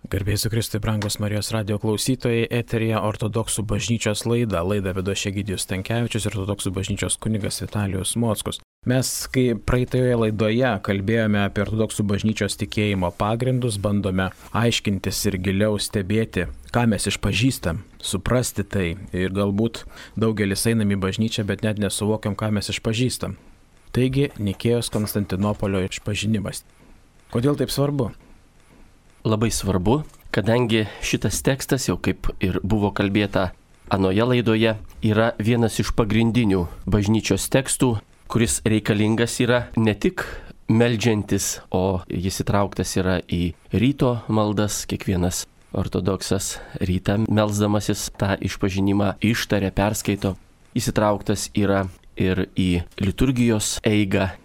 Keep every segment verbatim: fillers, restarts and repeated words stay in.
Garbėsiu Kristui, brangus Marijos radijo klausytojai, eteryje Ortodoksų bažnyčios laida. Laidą vedo Egidijus Stankevičius ir Ortodoksų bažnyčios kunigas Vitalijus Mockus. Mes, kai praeitoje laidoje kalbėjome apie Ortodoksų bažnyčios tikėjimo pagrindus, bandome aiškintis ir giliau stebėti, ką mes išpažįstam, suprasti tai. Ir galbūt daugelis einam į bažnyčią, bet net nesuvokiam, ką mes išpažįstam. Taigi, Nikėjos Konstantinopolio išpažinimas. Kodėl taip svarbu? Labai svarbu, kadangi šitas tekstas, jau kaip ir buvo kalbėta anoje laidoje, yra vienas iš pagrindinių bažnyčios tekstų, kuris reikalingas yra ne tik meldžiantis, o jis įtrauktas yra į ryto maldas. Kiekvienas ortodoksas rytą melsdamasis tą išpažinimą ištaria, perskaito. Jis įtrauktas yra ir į liturgijos eigą.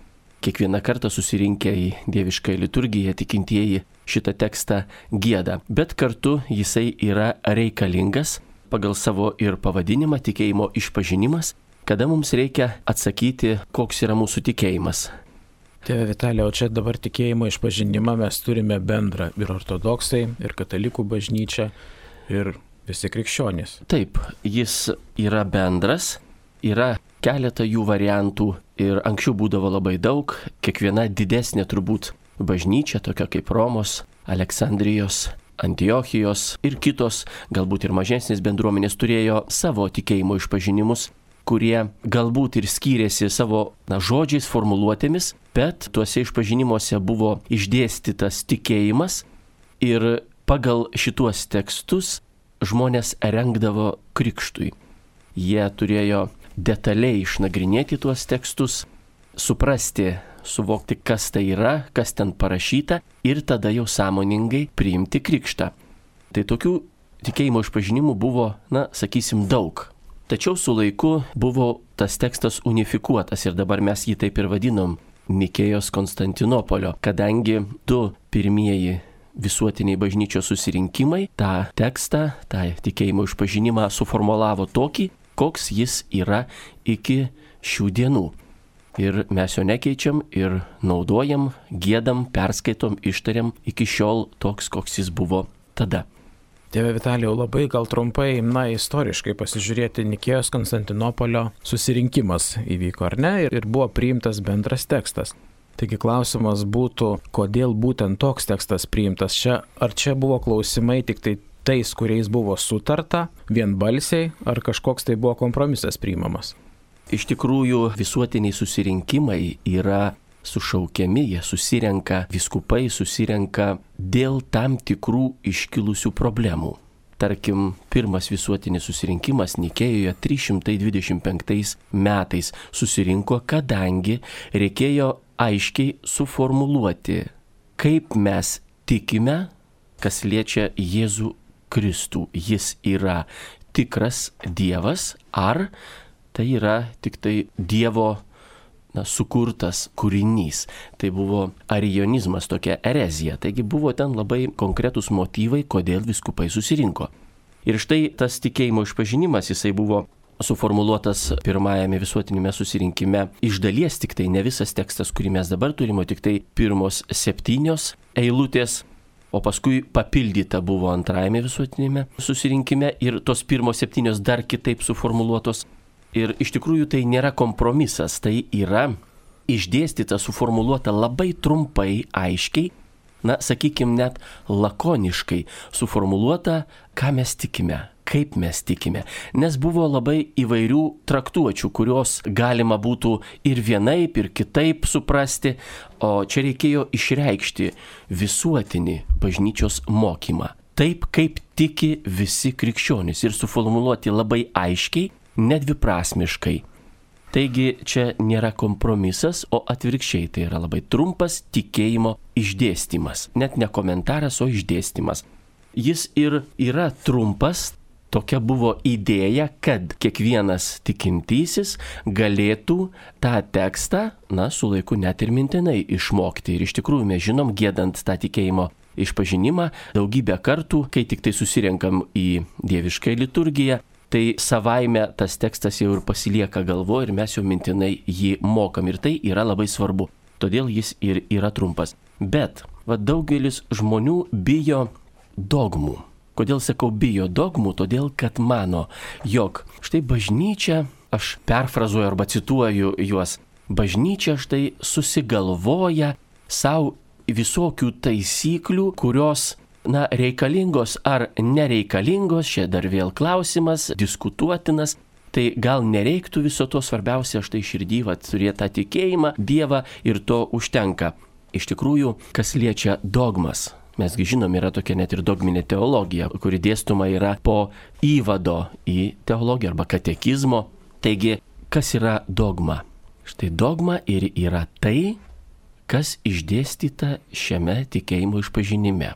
Kiekvieną kartą susirinkę į dievišką liturgiją tikintieji šitą tekstą gieda, bet kartu jisai yra reikalingas pagal savo ir pavadinimą tikėjimo išpažinimas, kada mums reikia atsakyti, koks yra mūsų tikėjimas. Tėve Vitalija, o čia dabar tikėjimo išpažinimą mes turime bendrą ir ortodoksai, ir katalikų bažnyčia, ir visi krikščionys. Taip, jis yra bendras, yra keletą jų variantų ir anksčiau būdavo labai daug. Kiekviena didesnė turbūt bažnyčia, tokia kaip Romos, Aleksandrijos, Antiochijos ir kitos, galbūt ir mažesnės bendruomenės turėjo savo tikėjimo išpažinimus, kurie galbūt ir skyrėsi savo na, žodžiais, formuluotėmis, bet tuose išpažinimuose buvo išdėstytas tikėjimas ir pagal šituos tekstus žmonės rengdavo krikštui. Jie turėjo detaliai išnagrinėti tuos tekstus, suprasti, suvokti, kas tai yra, kas ten parašyta ir tada jau sąmoningai priimti krikštą. Tai tokių tikėjimo išpažinimų buvo, na, sakysim, daug. Tačiau su laiku buvo tas tekstas unifikuotas ir dabar mes jį taip ir vadinom Nikėjos Konstantinopolio, kadangi du pirmieji visuotiniai bažnyčios susirinkimai tą tekstą, tą tikėjimo išpažinimą suformulavo tokį, koks jis yra iki šių dienų. Ir mes jo nekeičiam ir naudojam, giedam, perskaitom, ištariam iki šiol toks, koks jis buvo tada. Tėve Vitalijau, labai gal trumpai, na, istoriškai pasižiūrėti, Nikėjos Konstantinopolio susirinkimas įvyko, ar ne? Ir buvo priimtas bendras tekstas. Taigi klausimas būtų, kodėl būtent toks tekstas priimtas čia? Ar čia buvo klausimai tik tai tais, kuriais buvo sutarta, vienbalsiai, ar kažkoks tai buvo kompromisas priimamas? Iš tikrųjų, visuotiniai susirinkimai yra sušaukiami, jie susirenka, vyskupai susirenka dėl tam tikrų iškilusių problemų. Tarkim, pirmas visuotinis susirinkimas Nikėjoje trys šimtai dvidešimt penktais metais susirinko, kadangi reikėjo aiškiai suformuluoti, kaip mes tikime, kas liečia Jėzų Kristų. Jis yra tikras Dievas, ar tai yra tik tai Dievo na, sukurtas kūrinys. Tai buvo arijonizmas, tokia erezija. Taigi buvo ten labai konkretūs motyvai, kodėl vyskupai susirinko. Ir štai tas tikėjimo išpažinimas, jisai buvo suformuluotas pirmajame visuotinėme susirinkime. Iš dalies tik tai ne visas tekstas, kurį mes dabar turime, tik tai pirmos septynios eilutės, o paskui papildyta buvo antrajame visuotinėme susirinkime ir tos pirmos septynios dar kitaip suformuluotos. Ir iš tikrųjų tai nėra kompromisas, tai yra išdėstyta, suformuluota labai trumpai, aiškiai, na, sakykime, net lakoniškai suformuluota, ką mes tikime, kaip mes tikime. Nes buvo labai įvairių traktuočių, kurios galima būtų ir vienaip, ir kitaip suprasti, o čia reikėjo išreikšti visuotinį bažnyčios mokymą. Taip, kaip tiki visi krikščionys ir suformuluoti labai aiškiai, nedviprasmiškai. Taigi čia nėra kompromisas, o atvirkščiai tai yra labai trumpas tikėjimo išdėstymas. Net ne komentaras, o išdėstymas. Jis ir yra trumpas, tokia buvo idėja, kad kiekvienas tikintysis galėtų tą tekstą, na, su laiku net ir mintinai išmokti. Ir iš tikrųjų mes žinom, giedant tą tikėjimo išpažinimą daugybę kartų, kai tik tai susirenkam į dievišką liturgiją, tai savaime tas tekstas jau ir pasilieka galvoje ir mes jau mintinai jį mokam. Ir tai yra labai svarbu. Todėl jis ir yra trumpas. Bet va, daugelis žmonių bijo dogmų. Kodėl sakau bijo dogmų? Todėl, kad mano, jog štai bažnyčia, aš perfrazuoju arba cituoju juos, bažnyčia štai susigalvoja savo visokių taisyklių, kurios, na, reikalingos ar nereikalingos, čia dar vėl klausimas, diskutuotinas. Tai gal nereiktų viso to, svarbiausia štai širdį, va, turėti tą tikėjimą, Dievą ir to užtenka. Iš tikrųjų, kas liečia dogmas, mesgi žinom, yra tokia net ir dogminė teologija, kuri dėstoma yra po įvado į teologiją arba katekizmo. Taigi, kas yra dogma? Štai dogma ir yra tai, kas išdėstyta šiame tikėjimo išpažinime.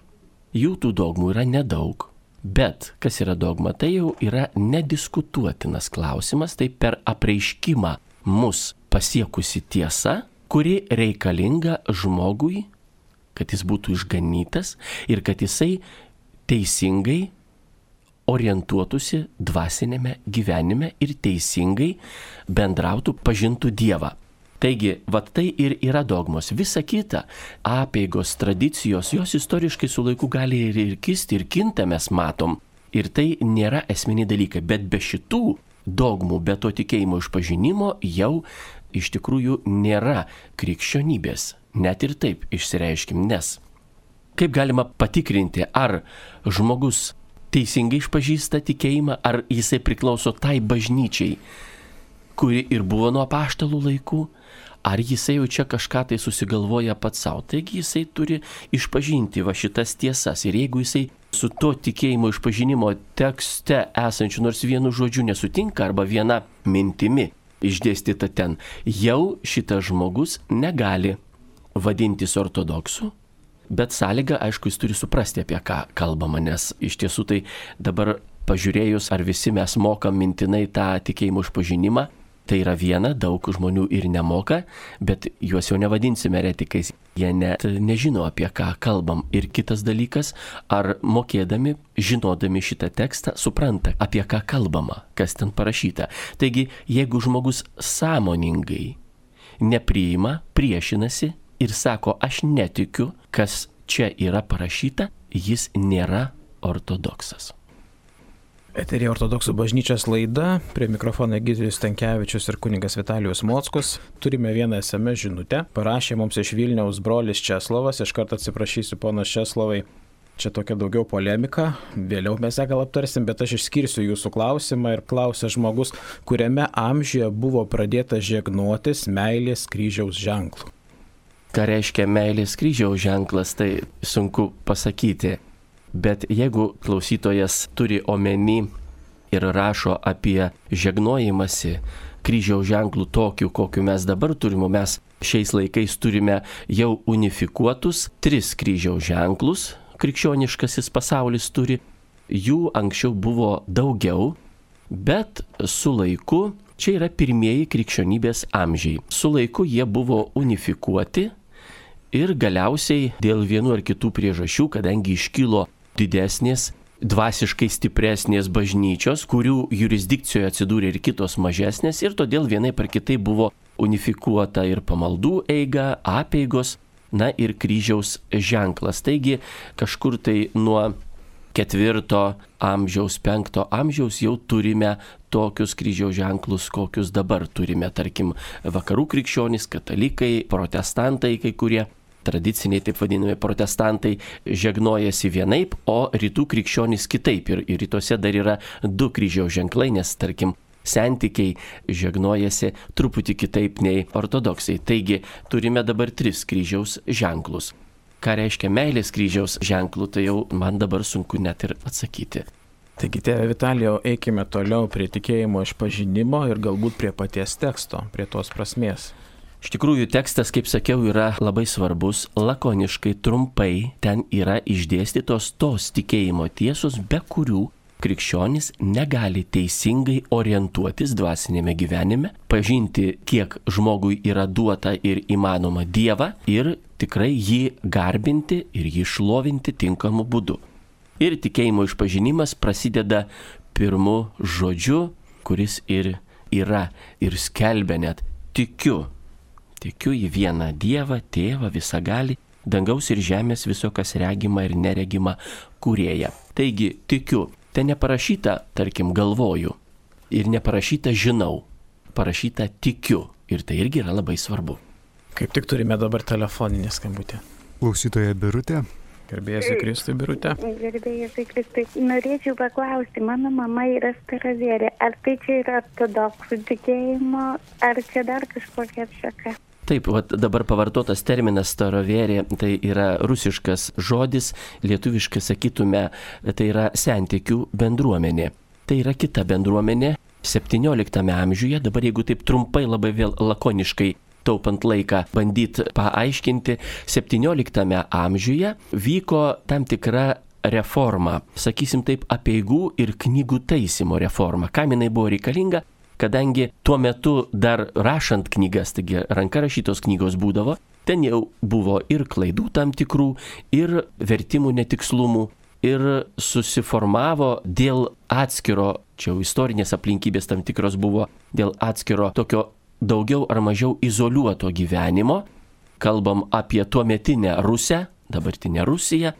Jų tų dogmų yra nedaug. Bet kas yra dogma, tai jau yra nediskutuotinas klausimas, tai per apreiškimą mus pasiekusi tiesa, kuri reikalinga žmogui, kad jis būtų išganytas ir kad jisai teisingai orientuotųsi dvasinėme gyvenime ir teisingai bendrautų, pažintų Dievą. Taigi, vat tai ir yra dogmos. Visa kita, apeigos, tradicijos, jos istoriškai su laiku gali ir, ir kisti, ir kinta, mes matom. Ir tai nėra esminiai dalykai. Bet be šitų dogmų, be to tikėjimo išpažinimo jau iš tikrųjų nėra krikščionybės. Net ir taip išsireiškim, nes kaip galima patikrinti, ar žmogus teisingai išpažįsta tikėjimą, ar jisai priklauso tai bažnyčiai, kuri ir buvo nuo apaštalų laikų, ar jisai jau čia kažką tai susigalvoja pats savo. Taigi jisai turi išpažinti va šitas tiesas. Ir jeigu jisai su to tikėjimo išpažinimo tekste esančiu nors vienu žodžiu nesutinka arba viena mintimi išdėstyta ten, jau šitas žmogus negali vadintis ortodoksu. Bet sąlyga, aišku, jis turi suprasti, apie ką kalbama, nes iš tiesų tai dabar pažiūrėjus, ar visi mes mokam mintinai tą tikėjimo išpažinimą, tai yra viena, daug žmonių ir nemoka, bet juos jau nevadinsime eretikais, jie net nežino, apie ką kalbam. Ir kitas dalykas, ar mokėdami, žinodami šitą tekstą, supranta, apie ką kalbama, kas ten parašyta. Taigi, jeigu žmogus sąmoningai nepriima, priešinasi ir sako, aš netikiu, kas čia yra parašyta, jis nėra ortodoksas. Eterija Ortodoksų bažnyčios laida, prie mikrofono Egidijus Stankevičius ir kunigas Vitalijus Mockus. Turime vieną es em es žinutę. Parašė mums iš Vilniaus brolis Česlovas. Iš karto atsiprašysiu, ponas Česlovai. Čia tokia daugiau polemika. Vėliau mes ją gal aptarsim, bet aš išskirsiu jūsų klausimą ir klausia žmogus, kuriame amžiuje buvo pradėta žegnotis meilės kryžiaus ženklų. Ką reiškia meilės kryžiaus ženklas, tai sunku pasakyti. Bet jeigu klausytojas turi omeny ir rašo apie žegnojimąsi kryžiaus ženklų tokių, kokiu mes dabar turime, mes šiais laikais turime jau unifikuotus tris kryžiaus ženklus, krikščioniškasis pasaulis turi, jų anksčiau buvo daugiau, bet su laiku, čia yra pirmieji krikščionybės amžiai, su laiku jie buvo unifikuoti ir galiausiai dėl vienų ar kitų priežasčių, kadangi iškilo didesnės, dvasiškai stipresnės bažnyčios, kurių jurisdikcijoje atsidūrė ir kitos mažesnės ir todėl vienai par kitai buvo unifikuota ir pamaldų eiga, apeigos, na ir kryžiaus ženklas. Taigi kažkur tai nuo ketvirto amžiaus, penkto amžiaus jau turime tokius kryžiaus ženklus, kokius dabar turime, tarkim, vakarų krikščionys, katalikai, protestantai, kai kurie tradiciniai, taip vadinami, protestantai žegnojasi vienaip, o rytų krikščionys kitaip. Ir, ir rytuose dar yra du kryžiaus ženklai, nes, tarkim, sentikiai žegnojasi truputį kitaip nei ortodoksai. Taigi, turime dabar tris kryžiaus ženklus. Ką reiškia meilės kryžiaus ženklų, tai jau man dabar sunku net ir atsakyti. Taigi, tėve Vitalijau, eikime toliau prie tikėjimo išpažinimo ir galbūt prie paties teksto, prie tos prasmės. Iš tikrųjų, tekstas, kaip sakiau, yra labai svarbus, lakoniškai, trumpai, ten yra išdėstytos tos tikėjimo tiesos, be kurių krikščionis negali teisingai orientuotis dvasinėme gyvenime, pažinti, kiek žmogui yra duota ir įmanoma Dievą ir tikrai jį garbinti ir jį šlovinti tinkamu būdu. Ir tikėjimo išpažinimas prasideda pirmu žodžiu, kuris ir yra ir skelbia net tikiu. Tikiu į vieną Dievą, Tėvą, visagalį, dangaus ir žemės viso, kas regima ir neregima kūrėja. Taigi, tikiu, ten neparašyta, tarkim, galvoju ir neparašyta žinau, parašyta tikiu ir tai irgi yra labai svarbu. Kaip tik turime dabar telefoninį skambutį. Klausytoja Birutė. Garbėjasi Kristui, Birutė. Garbėjasi Kristui. Norėčiau paklausti, mano mama yra staravėrė. Ar tai čia yra ortodoksų tikėjimo, ar čia dar kažkokia atšaka? Taip, vat dabar pavartotas terminas starovėrė, tai yra rusiškas žodis, lietuviškai sakytume, tai yra sentikių bendruomenė. Tai yra kita bendruomenė, septynioliktame amžiuje, dabar jeigu taip trumpai labai vėl lakoniškai taupant laiką bandyti paaiškinti, septynioliktame amžiuje vyko tam tikra reforma, sakysim taip, apeigų ir knygų taisymo reforma. Kam jinai buvo reikalinga? Kadangi tuo metu dar rašant knygas, taigi ranka rašytos knygos būdavo, ten jau buvo ir klaidų tam tikrų, ir vertimų netikslumų, ir susiformavo dėl atskiro, čia jau istorinės aplinkybės tam tikros buvo, dėl atskiro tokio daugiau ar mažiau izoliuoto gyvenimo, kalbam apie tuometinę Rusią, dabartinę Rusiją,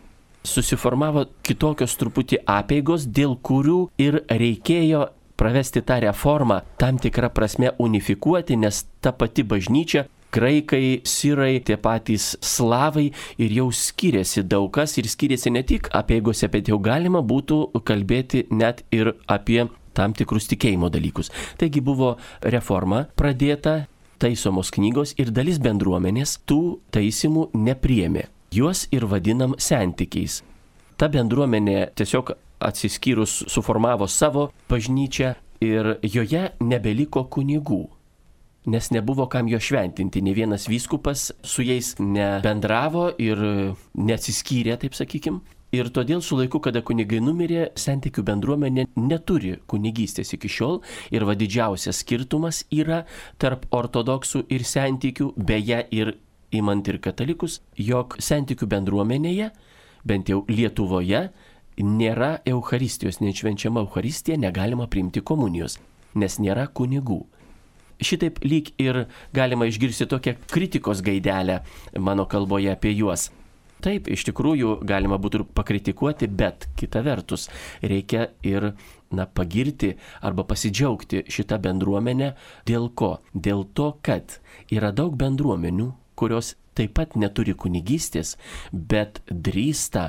susiformavo kitokios truputį apeigos, dėl kurių ir reikėjo pravesti tą reformą, tam tikrą prasme unifikuoti, nes ta pati bažnyčia, graikai, sirai, tie patys slavai ir jau skiriasi daug kas ir skiriasi ne tik apeigose, bet jau galima būtų kalbėti net ir apie tam tikrus tikėjimo dalykus. Taigi buvo reforma pradėta, taisomos knygos ir dalis bendruomenės tų taisymų nepriėmė. Juos ir vadinam sentikiais. Ta bendruomenė tiesiog atsiskyrus suformavo savo bažnyčią ir joje nebeliko kunigų, nes nebuvo kam jo šventinti. Ne vienas vyskupas su jais nebendravo ir neatsiskyrė, taip sakykim. Ir todėl su laiku, kada kunigai numirė, sentikių bendruomenė neturi kunigystės iki šiol ir va didžiausias skirtumas yra tarp ortodoksų ir sentikių, beje ir imant ir katalikus, jog sentikių bendruomenėje, bent jau Lietuvoje, nėra Eucharistijos, nešvenčiama Eucharistija, negalima priimti komunijos, nes nėra kunigų. Šitaip lyg ir galima išgirsti tokią kritikos gaidelę mano kalboje apie juos. Taip, iš tikrųjų galima būtų ir pakritikuoti, bet kita vertus reikia ir na, pagirti arba pasidžiaugti šitą bendruomenę. Dėl ko? Dėl to, kad yra daug bendruomenių, kurios taip pat neturi kunigystės, bet drįsta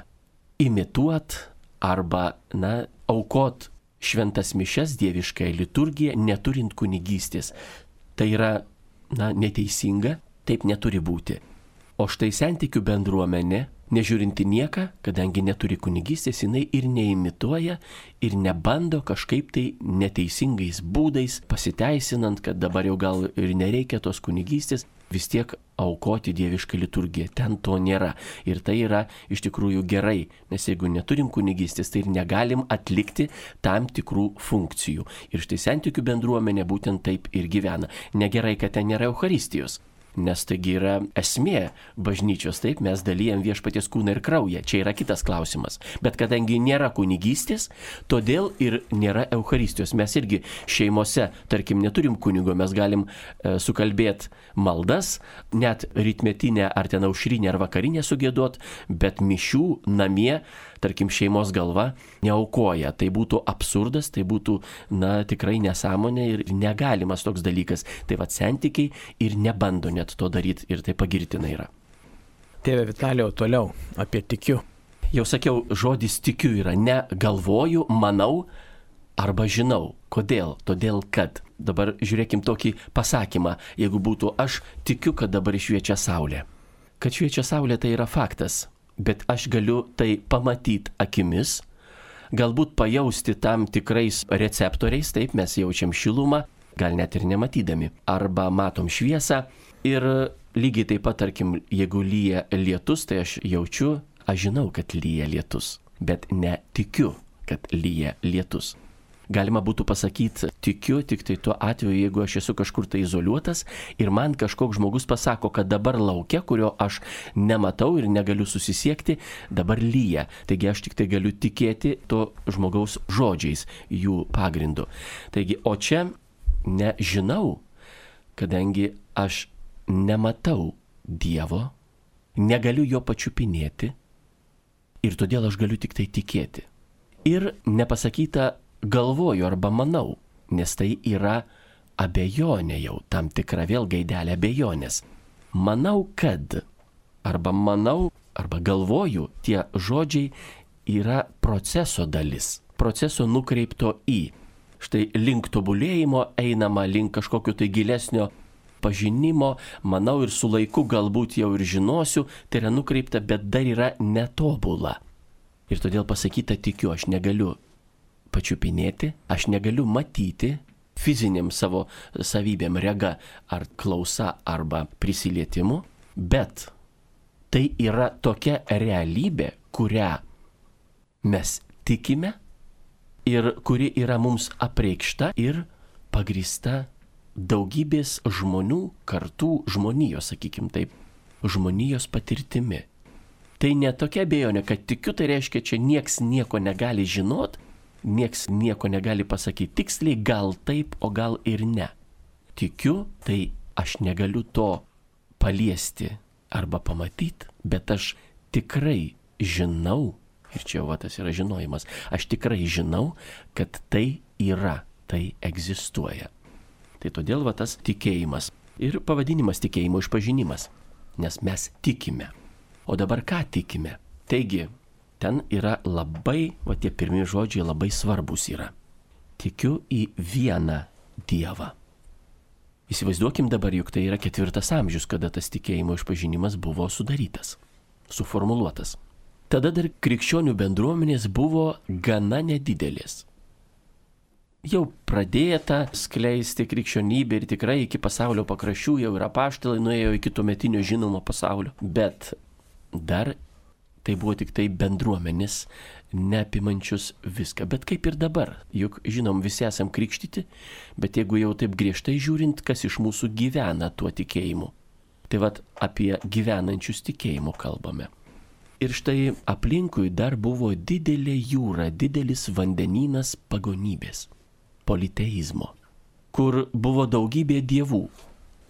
imituot arba na, aukot šventas mišias, dieviškąją liturgiją, neturint kunigystės. Tai yra na, neteisinga, taip neturi būti. O štai sentikių bendruomenė, nežiūrinti nieką, kadangi neturi kunigystės, jinai ir neimituoja, ir nebando kažkaip tai neteisingais būdais, pasiteisinant, kad dabar jau gal ir nereikia tos kunigystės, vis tiek aukoti dievišką liturgiją. Ten to nėra. Ir tai yra iš tikrųjų gerai, nes jeigu neturim kunigystės, tai ir negalim atlikti tam tikrų funkcijų. Ir štai sentikių bendruomenė būtent taip ir gyvena. Negerai, kad ten nėra Eucharistijos. Nes taigi yra esmė bažnyčios, taip, mes dalijam viešpaties kūną ir kraują, čia yra kitas klausimas. Bet kadangi nėra kunigystės, todėl ir nėra Eucharistijos. Mes irgi šeimose, tarkim, neturim kunigo, mes galim e, sukalbėti maldas, net rytmetinę ar ten aušrinę ar vakarinę sugėduot, bet mišių namie, tarkim, šeimos galva neaukoja. Tai būtų absurdas, tai būtų, na, tikrai nesąmonė ir negalimas toks dalykas. Tai va, sentikiai ir nebando net to daryti ir tai pagirtina yra. Tėve Vitalijau, toliau apie tikiu. Jau sakiau, žodis tikiu yra ne galvoju, manau arba žinau. Kodėl? Todėl, kad dabar žiūrėkim tokį pasakymą, jeigu būtų aš tikiu, kad dabar šviečia saulė. Kad šviečia saulė tai yra faktas, bet aš galiu tai pamatyti akimis, galbūt pajausti tam tikrais receptoriais, taip mes jaučiam šilumą, gal net ir nematydami, arba matom šviesą. Ir lygiai taip pat, tarkim, jeigu lyja lietus, tai aš jaučiu, aš žinau, kad lyja lietus, bet netikiu, kad lyja lietus. Galima būtų pasakyti, tikiu tik tai tuo atveju, jeigu aš esu kažkur tai izoliuotas ir man kažkoks žmogus pasako, kad dabar laukia, kurio aš nematau ir negaliu susisiekti, dabar lyja. Taigi aš tik tai galiu tikėti to žmogaus žodžiais, jų pagrindu. Taigi, o čia nežinau, kadangi aš nematau Dievo, negaliu jo pačiupinėti ir todėl aš galiu tik tai tikėti. Ir nepasakyta galvoju arba manau, nes tai yra abejonė jau, tam tikra vėl gaidelė abejonės. Manau, kad, arba manau, arba galvoju, tie žodžiai yra proceso dalis, proceso nukreipto į. Štai link tobulėjimo einama, link kažkokio tai gilesnio pažinimo, manau ir su laiku galbūt jau ir žinosiu, tai yra nukreipta, bet dar yra netobula. Ir todėl pasakyta tikiu, aš negaliu pačiupinėti, aš negaliu matyti fiziniam savo savybėm, rega ar klausa arba prisilietimu, bet tai yra tokia realybė, kurią mes tikime ir kuri yra mums apreikšta ir pagrįsta daugybės žmonių, kartų žmonijos, sakykim taip, žmonijos patirtimi. Tai ne tokia abejonė, kad tikiu, tai reiškia, čia nieks nieko negali žinot, nieks nieko negali pasakyti tiksliai, gal taip, o gal ir ne. Tikiu, tai aš negaliu to paliesti arba pamatyti, bet aš tikrai žinau, ir čia jau tas yra žinojimas, aš tikrai žinau, kad tai yra, tai egzistuoja. Tai todėl va tas tikėjimas ir pavadinimas tikėjimo išpažinimas, nes mes tikime. O dabar ką tikime? Taigi, ten yra labai, va tie pirmie žodžiai labai svarbus yra. Tikiu į vieną Dievą. Įsivaizduokim dabar, juk tai yra ketvirtas amžius, kada tas tikėjimo išpažinimas buvo sudarytas, suformuluotas. Tada dar krikščionių bendruomenės buvo gana nedidelės. Jau pradėta skleisti krikščionybė ir tikrai iki pasaulio pakraščių jau ir apaštalai nuėjo iki tuometinio žinomo pasaulio, bet dar tai buvo tik tai bendruomenės, neapimančius viską. Bet kaip ir dabar, juk žinom, visi esam krikštyti, bet jeigu jau taip griežtai žiūrint, kas iš mūsų gyvena tuo tikėjimu, tai vat apie gyvenančius tikėjimu kalbame. Ir štai aplinkui dar buvo didelė jūra, didelis vandenynas pagonybės, politeizmo, kur buvo daugybė dievų.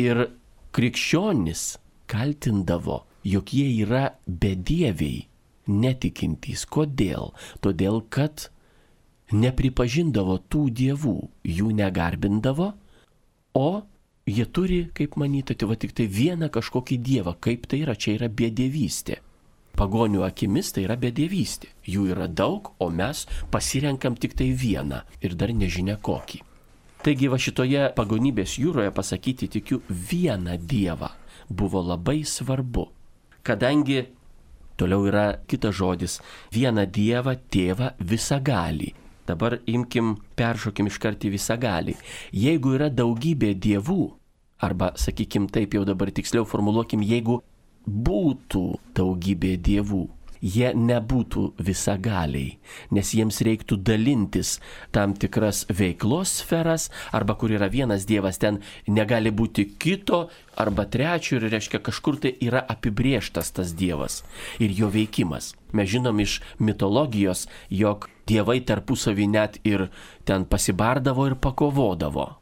Ir krikščionis kaltindavo, jog jie yra bedieviai, netikintys. Kodėl? Todėl, kad nepripažindavo tų dievų, jų negarbindavo, o jie turi, kaip manytų, tai va tik tai vieną kažkokį dievą. Kaip tai yra? Čia yra bedievystė. Pagonių akimis tai yra bedievystė. Jų yra daug, o mes pasirenkam tik tai vieną ir dar nežinia kokį. Taigi va šitoje pagonybės jūroje pasakyti tikiu vieną dievą buvo labai svarbu. Kadangi toliau yra kitas žodis, vieną dievą, tėvą visagalį. Dabar imkim, peršokim iškart į visagalį. Jeigu yra daugybė dievų, arba sakykim taip jau dabar tiksliau formuluokim, jeigu būtų daugybė dievų, jie nebūtų visagaliai, nes jiems reiktų dalintis tam tikras veiklos sferas, arba kur yra vienas dievas, ten negali būti kito arba trečio, ir reiškia kažkur tai yra apibrėžtas tas dievas ir jo veikimas. Mes žinom iš mitologijos, jog dievai tarpusavį net ir ten pasibardavo ir pakovodavo.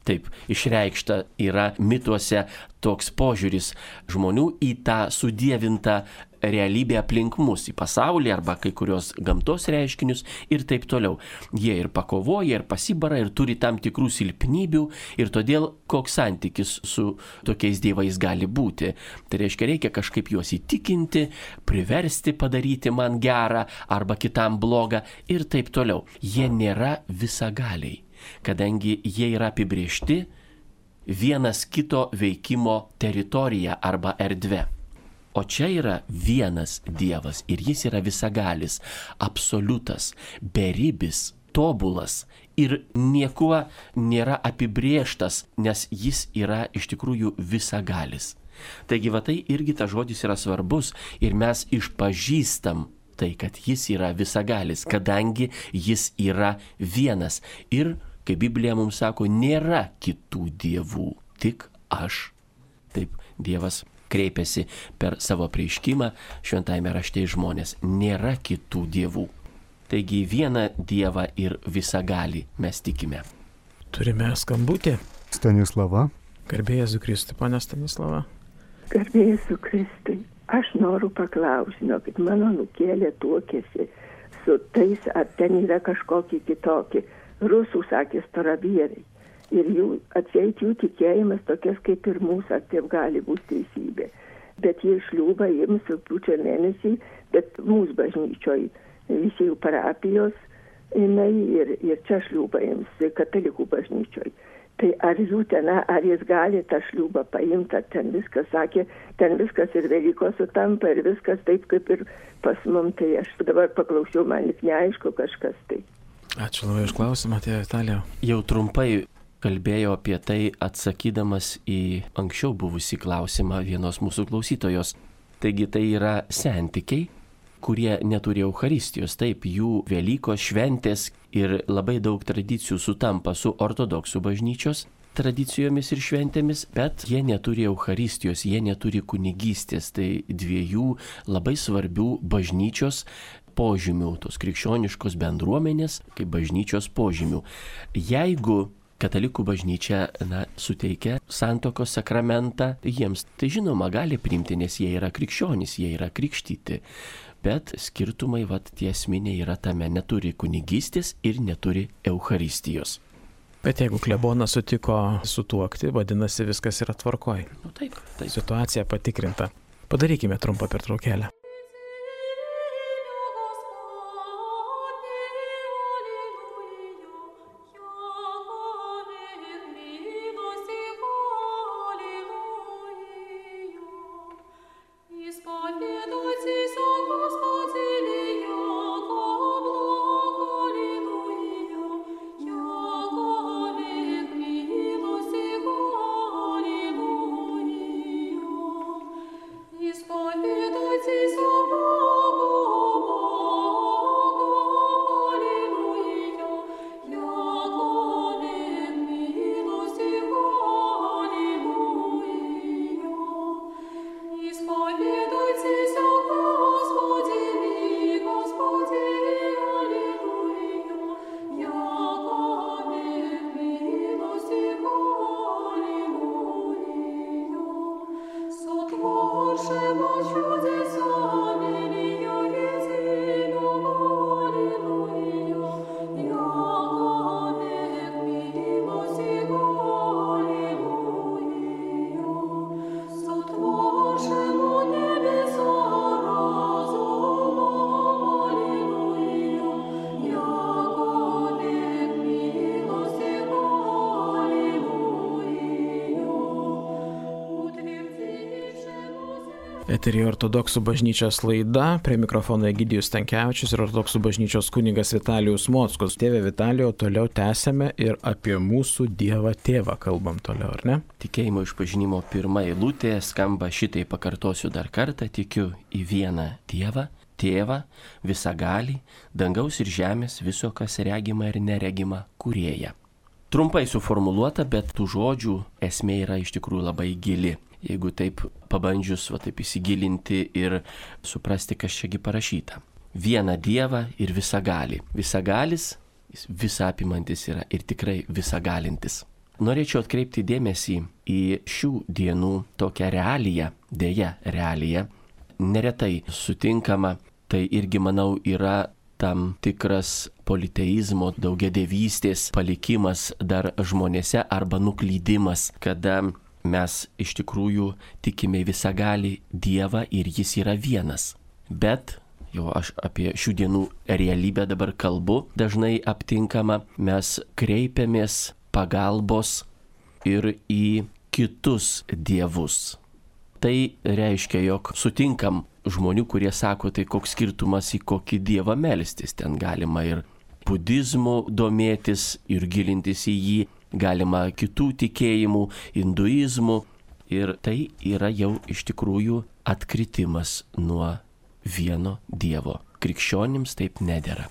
Taip, išreikšta yra mituose toks požiūris žmonių į tą sudievintą realybę aplink mus, į pasaulį arba kai kurios gamtos reiškinius ir taip toliau. Jie ir pakovoja, ir pasibara, ir turi tam tikrų silpnybių, ir todėl koks santykis su tokiais dievais gali būti. Tai reiškia, reikia kažkaip juos įtikinti, priversti padaryti man gerą arba kitam blogą ir taip toliau. Jie nėra visagaliai, kadangi jie yra apibriežti vienas kito veikimo teritorija arba erdve. O čia yra vienas dievas ir jis yra visagalis, absoliutas, beribis, tobulas ir niekuo nėra apibrėžtas, nes jis yra iš tikrųjų visagalis. Taigi va tai irgi tas žodis yra svarbus ir mes išpažįstam tai, kad jis yra visagalis, kadangi jis yra vienas. Ir, kaip Biblija mums sako, nėra kitų dievų, tik aš. Taip, Dievas kreipiasi per savo apreiškimą šventajame rašte į žmonės. Nėra kitų dievų. Taigi vieną Dievą ir visagalį mes tikime. Turime skambutį. Stanislava. Garbė Jėzui Kristui, ponia Stanislava. Garbė Jėzui Kristui. Aš noriu paklausti, žinokit, mano nukėlė tuokėsi su tais, ar ten yra kažkokie kitokie. Rusų sakė storavyrai. Ir jų atseit jų tikėjimas tokias kaip ir mūsų, ar taip gali būti teisybė. Bet jie šliūba jiems rugpjūčio mėnesį, bet mūsų bažnyčioj visi jų parapijos, jinai ir, ir čia šliūba jiems katalikų bažnyčioj. Tai ar jų ten, ar jis gali tą šliūbą paimti, ar ten viskas, sakė, ten viskas ir Velykos sutampa, ir viskas taip kaip ir pas mum, tai aš dabar paklausiau, man lik neaišku kažkas tai. Ačiū labai už klausimą, tėve Vitalijau. Jau trumpai kalbėjau apie tai, atsakydamas į anksčiau buvusį klausimą vienos mūsų klausytojos. Taigi tai yra sentikiai, kurie neturi Eucharistijos. Taip, jų Velykos šventės ir labai daug tradicijų sutampa su ortodoksų bažnyčios tradicijomis ir šventėmis, bet jie neturi Eucharistijos, jie neturi kunigystės. Tai dviejų labai svarbių bažnyčios požymių, tos krikščioniškos bendruomenės kaip bažnyčios požymių. Jeigu katalikų bažnyčia na, suteikia santuokos sakramentą jiems, tai žinoma gali priimti, nes jie yra krikščionys, jie yra krikštyti. Bet skirtumai, vat, tie esminiai yra tame, neturi kunigystės ir neturi Eucharistijos. Bet jeigu klebonas sutiko sutuokti, vadinasi viskas yra tvarkoj. Nu, taip, taip. Situacija patikrinta. Padarykime trumpą pertraukėlę. Eteryje ortodoksų bažnyčios laida, prie mikrofono Egidijus Stankevičius ir ortodoksų bažnyčios kunigas Vitalijus Mockus. Tėve Vitalijau, toliau tęsėme ir apie mūsų Dievą Tėvą kalbam toliau, ar ne? Tikėjimo išpažinimo pirma eilutė skamba šitai, pakartosiu dar kartą, tikiu į vieną Dievą, Tėvą, visagalį, dangaus ir žemės, viso, kas regima ir neregima, kūrėją. Trumpai suformuluota, bet tų žodžių esmė yra iš tikrųjų labai gili. Jeigu taip pabandžius va, taip įsigilinti ir suprasti, kas čiagi parašyta. Vieną Dievą ir visagalį. Visagalis, jis visapimantis yra ir tikrai visagalintis. Norėčiau atkreipti dėmesį į šių dienų tokią realiją, dėja realiją, neretai sutinkama, tai irgi manau yra tam tikras politeizmo, daugiadievystės palikimas dar žmonėse arba nuklydimas, kada mes iš tikrųjų tikime visagalį Dievą ir jis yra vienas. Bet, jau aš apie šių dienų realybę dabar kalbu, dažnai aptinkama, mes kreipiamės pagalbos ir į kitus dievus. Tai reiškia, jog sutinkam žmonių, kurie sako, tai koks skirtumas į kokį dievą melstis. Ten galima ir budizmu domėtis ir gilintis į jį, galima kitų tikėjimų, hinduizmų. Ir tai yra jau iš tikrųjų atkritimas nuo vieno dievo. Krikščionims taip nedera.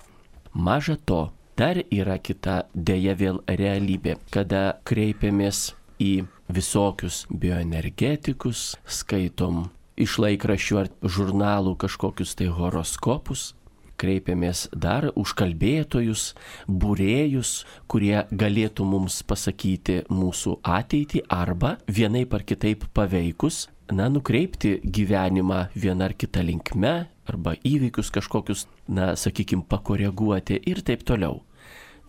Maža to, dar yra kita dėja vėl realybė, kada kreipiamės į visokius bioenergetikus, skaitom iš laikraščių ar žurnalų kažkokius tai horoskopus, kreipiamės dar užkalbėtojus, būrėjus, kurie galėtų mums pasakyti mūsų ateitį arba vienaip ar kitaip paveikus na, nukreipti gyvenimą vieną ar kitą linkme, arba įvykius kažkokius, na, sakykime, pakoreguoti ir taip toliau.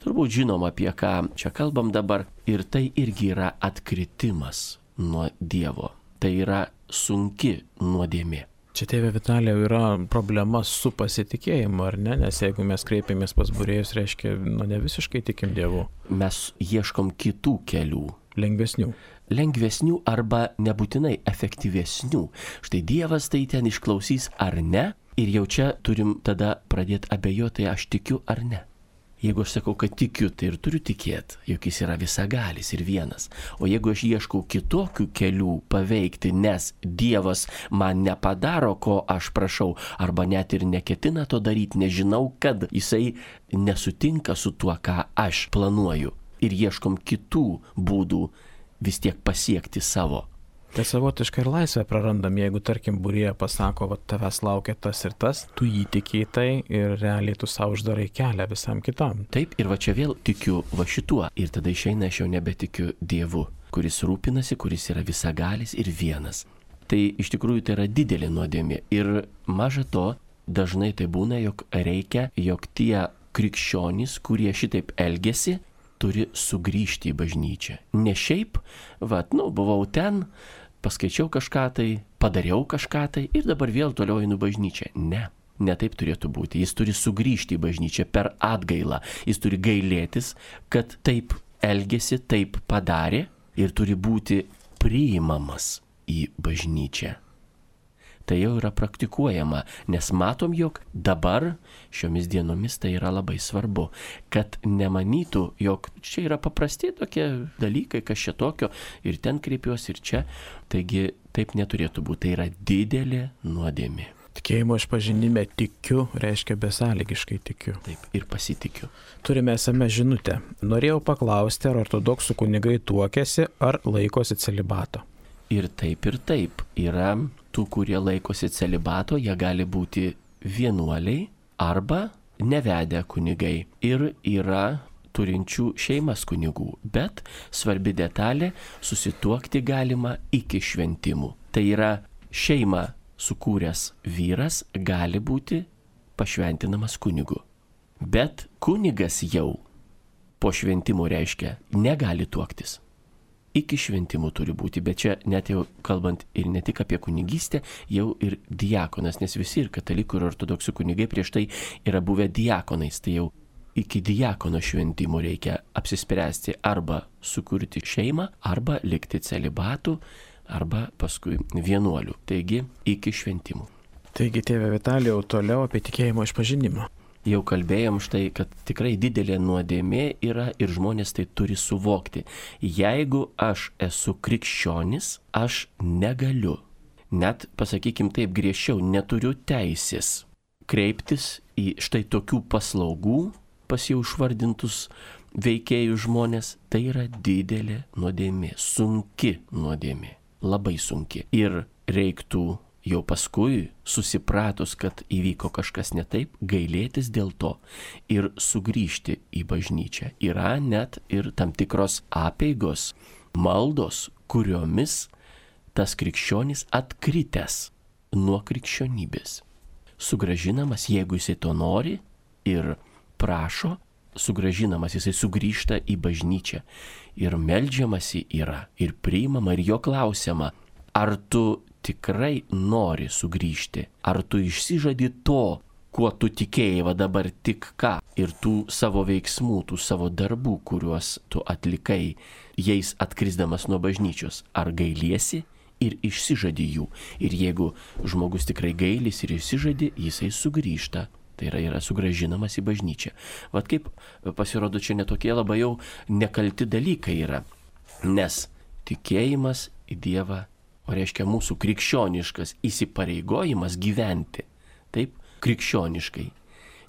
Turbūt žinom, apie ką čia kalbam dabar, ir tai irgi yra atkritimas nuo Dievo. Tai yra sunki nuodėmė. Čia, tėve Vitalijau, yra problema su pasitikėjimu, ar ne? Nes jeigu mes kreipiamės pas būrėjus, reiškia, nu, ne visiškai tikim Dievu. Mes ieškom kitų kelių. Lengvesnių. Lengvesnių arba nebūtinai efektyvesnių. Štai Dievas tai ten išklausys ar ne, ir jau čia turim tada pradėti abejoti, aš tikiu ar ne. Jeigu aš sakau, kad tikiu, tai ir turiu tikėti, jog jis yra visagalis ir vienas. O jeigu aš ieškau kitokių kelių paveikti, nes Dievas man nepadaro, ko aš prašau, arba net ir neketina to daryti, nežinau, kad jisai nesutinka su tuo, ką aš planuoju. Ir ieškom kitų būdų vis tiek pasiekti savo. Tai savotiškai ir laisvę prarandam, jeigu, tarkim, būrėja pasako, va, tavęs laukia tas ir tas, tu jį tikiai tai ir realiai tu savo uždarai kelią visam kitam. Taip, ir va čia vėl tikiu va šituo. Ir tada išeina, aš jau nebetikiu Dievu, kuris rūpinasi, kuris yra visagalis ir vienas. Tai iš tikrųjų tai yra didelė nuodėmė. Ir maža to, dažnai tai būna, jog reikia, jog tie krikščionys, kurie šitaip elgesi, turi sugrįžti į bažnyčią. Ne šiaip, va, nu, buvau ten, paskaičiau kažką tai, padariau kažką tai ir dabar vėl toliau einu bažnyčią. Ne, ne taip turėtų būti. Jis turi sugrįžti į bažnyčią per atgailą. Jis turi gailėtis, kad taip elgėsi, taip padarė ir turi būti priimamas į bažnyčią. Tai jau yra praktikuojama, nes matom, jog dabar šiomis dienomis tai yra labai svarbu, kad nemanytų, jog čia yra paprasti tokie dalykai, kas čia tokio, ir ten kreipiuosi, ir čia. Taigi taip neturėtų būti, tai yra didelė nuodėmė. Tikėjimo išpažinime tikiu, reiškia besąlygiškai tikiu. Taip, ir pasitikiu. Turime esame žinutę. Norėjau paklausti, ar ortodoksų kunigai tuokiasi, ar laikosi celibato. Ir taip, ir taip. Yra tų, kurie laikosi celibato, jie gali būti vienuoliai arba nevedę kunigai. Ir yra turinčių šeimas kunigų. Bet svarbi detalė, susituokti galima iki šventimų. Tai yra šeimą sukūręs vyras gali būti pašventinamas kunigu. Bet kunigas jau po šventimų reiškia negali tuoktis. Iki šventimų turi būti, bet čia net jau kalbant ir ne tik apie kunigystę, jau ir diakonas, nes visi ir katalikų ir ortodoksų kunigai prieš tai yra buvę diakonais, tai jau iki diakono šventimų reikia apsispręsti arba sukurti šeimą, arba likti celibatu, arba paskui vienuoliu, taigi iki šventimų. Taigi, tėve Vitalijau, toliau apie tikėjimo išpažinimą. Jau kalbėjom štai, kad tikrai didelė nuodėmė yra ir žmonės tai turi suvokti. Jeigu aš esu krikščionis, aš negaliu, net, pasakykim taip griežčiau, neturiu teisės kreiptis į štai tokių paslaugų pas jau išvardintus veikėjų žmonės. Tai yra didelė nuodėmė, sunki nuodėmė, labai sunki. Ir reiktų jau paskui, susipratus, kad įvyko kažkas ne taip, gailėtis dėl to ir sugrįžti į bažnyčią. Yra net ir tam tikros apeigos, maldos, kuriomis tas krikščionis atkritęs nuo krikščionybės. Sugražinamas, jeigu jisai to nori ir prašo, sugražinamas, jisai sugrįžta į bažnyčią. Ir meldžiamasi yra, ir priimama, ir jo klausiama, ar tu tikrai nori sugrįžti, ar tu išsižadi to, kuo tu tikėjai va dabar tik ką, ir tų savo veiksmų, tų savo darbų, kuriuos tu atlikai, jais atkrisdamas nuo bažnyčios, ar gailiesi ir išsižadi jų. Ir jeigu žmogus tikrai gailis ir išsižadi, jisai sugrįžta. Tai yra, yra sugražinamas į bažnyčią. Vat kaip pasirodo, čia netokie labai jau nekalti dalykai yra, nes tikėjimas į Dievą, o reiškia mūsų krikščioniškas įsipareigojimas gyventi, taip, krikščioniškai,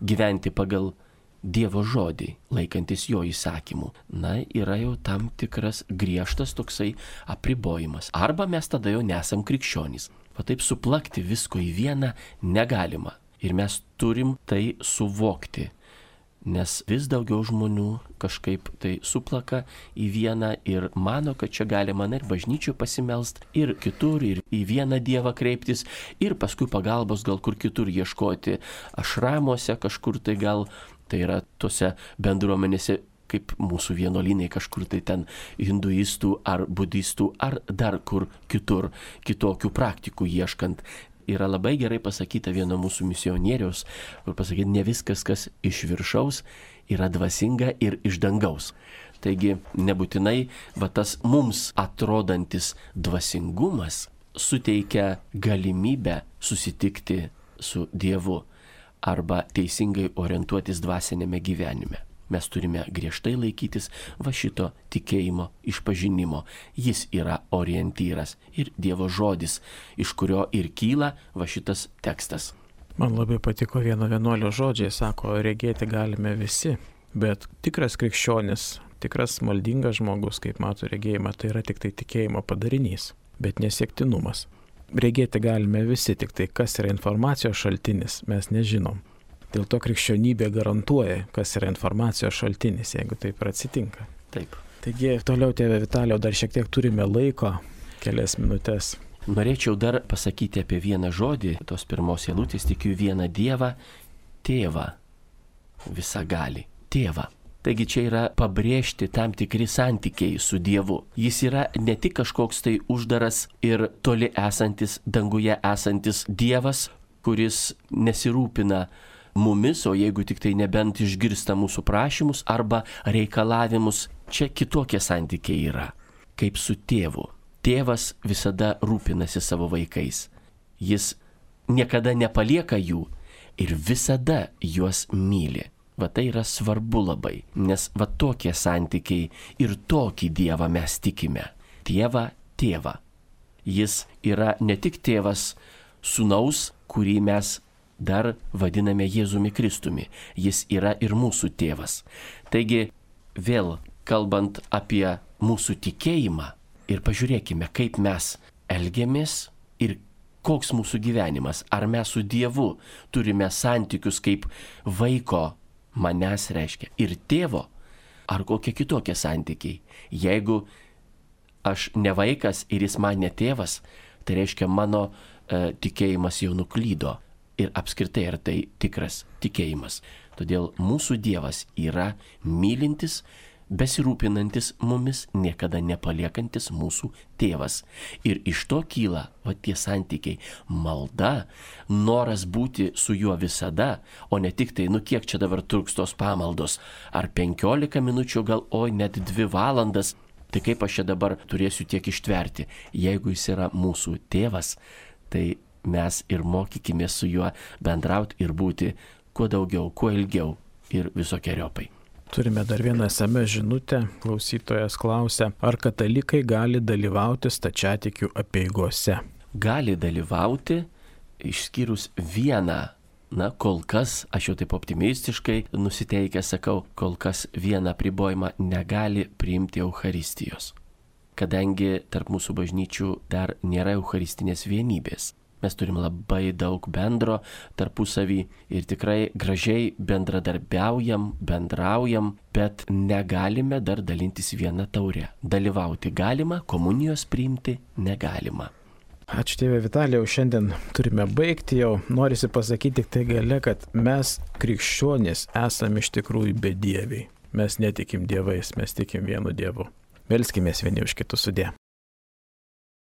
gyventi pagal Dievo žodį, laikantis jo įsakymų, na, yra jau tam tikras griežtas toksai apribojimas. Arba mes tada jau nesam krikščionys. O taip suplakti visko į vieną negalima. Ir mes turim tai suvokti. nes vis daugiau žmonių kažkaip tai suplaka į vieną ir mano, kad čia galima ir bažnyčių pasimelst, ir kitur, ir į vieną Dievą kreiptis, ir paskui pagalbos gal kur kitur ieškoti, ašramuose kažkur tai gal, tai yra tose bendruomenėse, kaip mūsų vienuolynai kažkur tai ten hinduistų ar budistų, ar dar kur kitur, kitokių praktikų ieškant. Yra labai gerai pasakyta vieno mūsų misionieriaus, kur pasakyti, ne viskas, kas iš viršaus, yra dvasinga ir iš dangaus. Taigi nebūtinai va tas mums atrodantis dvasingumas suteikia galimybę susitikti su Dievu arba teisingai orientuotis dvasinėme gyvenime. Mes turime griežtai laikytis va šito tikėjimo išpažinimo. Jis yra orientyras ir Dievo žodis, iš kurio ir kyla va šitas tekstas. Man labai patiko vieno vienuolio žodžiai, sako, regėti galime visi, bet tikras krikščionis, tikras maldingas žmogus, kaip mato regėjimą, tai yra tik tai tikėjimo padarinys, bet nesiektinumas. Regėti galime visi, tik tai kas yra informacijos šaltinis, mes nežinom. Dėl to krikščionybė garantuoja, kas yra informacijos šaltinis, jeigu taip ir atsitinka. Taip. Taigi, toliau, tėve Vitalijau, dar šiek tiek turime laiko, kelias minutės. Norėčiau dar pasakyti apie vieną žodį, tos pirmos eilutės, tikiu vieną Dievą, tėvą, visagalį, tėvą. Taigi čia yra pabrėžti tam tikri santykiai su Dievu. Jis yra ne tik kažkoks tai uždaras ir toli esantis, danguje esantis Dievas, kuris nesirūpina mumis, o jeigu tik tai nebent išgirsta mūsų prašymus arba reikalavimus, čia kitokie santykiai yra, kaip su tėvu. Tėvas visada rūpinasi savo vaikais. Jis niekada nepalieka jų ir visada juos myli. Va tai yra svarbu labai, nes va tokie santykiai ir tokį Dievą mes tikime. Dievą, tėvą. Jis yra ne tik tėvas sūnaus, kurį mes dar vadiname Jėzumi Kristumi. Jis yra ir mūsų tėvas. Taigi, vėl kalbant apie mūsų tikėjimą ir pažiūrėkime, kaip mes elgiamės ir koks mūsų gyvenimas. Ar mes su Dievu turime santykius kaip vaiko, manęs reiškia, ir tėvo, ar kokie kitokie santykiai. Jeigu aš ne vaikas ir jis man ne tėvas, tai reiškia mano e, tikėjimas jau nuklydo. Ir apskritai ar tai tikras tikėjimas. Todėl mūsų Dievas yra mylintis, besirūpinantis mumis, niekada nepaliekantis mūsų tėvas. Ir iš to kyla va tie santykiai. Malda, noras būti su juo visada, o ne tik tai, nu kiek čia dabar truks tos pamaldos. Ar penkiolika minučių, gal oi net dvi valandas. Tai kaip aš čia dabar turėsiu tiek ištverti. Jeigu jis yra mūsų tėvas, tai mes ir mokykime su juo bendrauti ir būti kuo daugiau, kuo ilgiau ir visokiojopai. Turime dar vieną es em es žinutę. Klausytojas klausia, ar katalikai gali dalyvauti stačiatikių apeigose? Gali dalyvauti, išskyrus vieną, na kol kas, aš jau taip optimistiškai nusiteikęs sakau, kol kas vieną apribojimą negali priimti Eucharistijos. Kadangi tarp mūsų bažnyčių dar nėra Eucharistinės vienybės. Mes turim labai daug bendro tarpusavį ir tikrai gražiai bendradarbiaujam, bendraujam, bet negalime dar dalintis vieną taurę. Dalyvauti galima, komunijos priimti negalima. Ačiū tėve Vitalijau, šiandien turime baigti jau. Norisi pasakyti tik tai gale, kad mes krikščionys esame iš tikrųjų bedieviai. Mes netikim dievais, mes tikim vienu Dievu. Melskimės vieni už kitus, sudie.